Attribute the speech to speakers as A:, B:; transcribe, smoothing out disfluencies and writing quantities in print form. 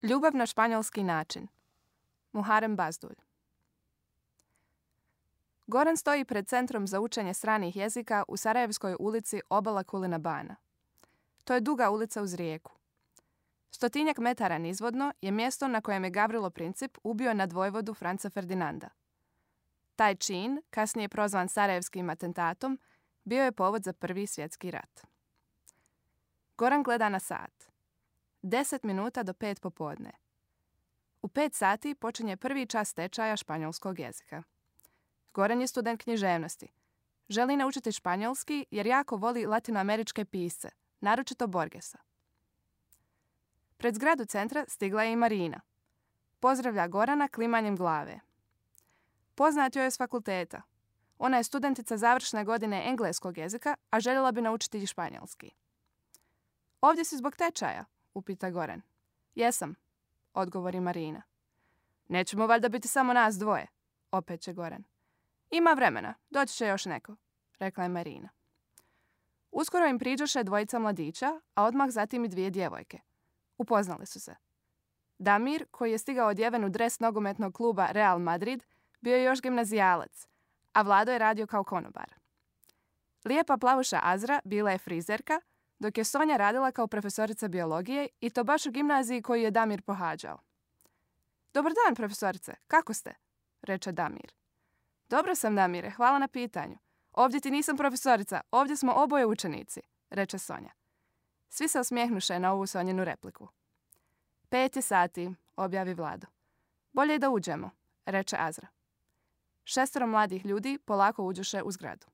A: Ljubav na španjolski način. Muharem Bazdulj. Goran stoji pred Centrom za učenje stranih jezika u Sarajevskoj ulici Obala Kulina Bana. To je duga ulica uz rijeku. 100-tinjak metara nizvodno je mjesto na kojem je Gavrilo Princip ubio nadvojvodu Franca Ferdinanda. Taj čin, kasnije prozvan Sarajevskim atentatom, bio je povod za Prvi svjetski rat. Goran gleda na sat. 10 minuta do 5 popodne. U 5 sati počinje prvi čas tečaja španjolskog jezika. Goran je student književnosti. Želi naučiti španjolski jer jako voli latinoameričke pisce, naročito Borgesa. Pred zgradu centra stigla je i Marina. Pozdravlja Gorana klimanjem glave. Poznat joj je s fakulteta. Ona je studentica završne godine engleskog jezika, a željela bi naučiti i španjolski. Ovdje si zbog tečaja? Upita Goran. Jesam, odgovori Marina. Nećemo valjda biti samo nas dvoje, opet će Goran. Ima vremena, doći će još neko, rekla je Marina. Uskoro im priđoše dvojica mladića, a odmah zatim i 2 djevojke. Upoznali su se. Damir, koji je stigao odjeven u dres nogometnog kluba Real Madrid, bio je još gimnazijalac, a Vlado je radio kao konobar. Lijepa plavuša Azra bila je frizerka, dok je Sonja radila kao profesorica biologije i to baš u gimnaziji koju je Damir pohađao. Dobar dan, profesorice, kako ste? Reče Damir. Dobro sam, Damire, hvala na pitanju. Ovdje ti nisam profesorica, ovdje smo oboje učenici, reče Sonja. Svi se osmijehnuše na ovu Sonjinu repliku. 5 je sati, objavi Vlado. Bolje je da uđemo, reče Azra. 6 mladih ljudi polako uđoše u zgradu.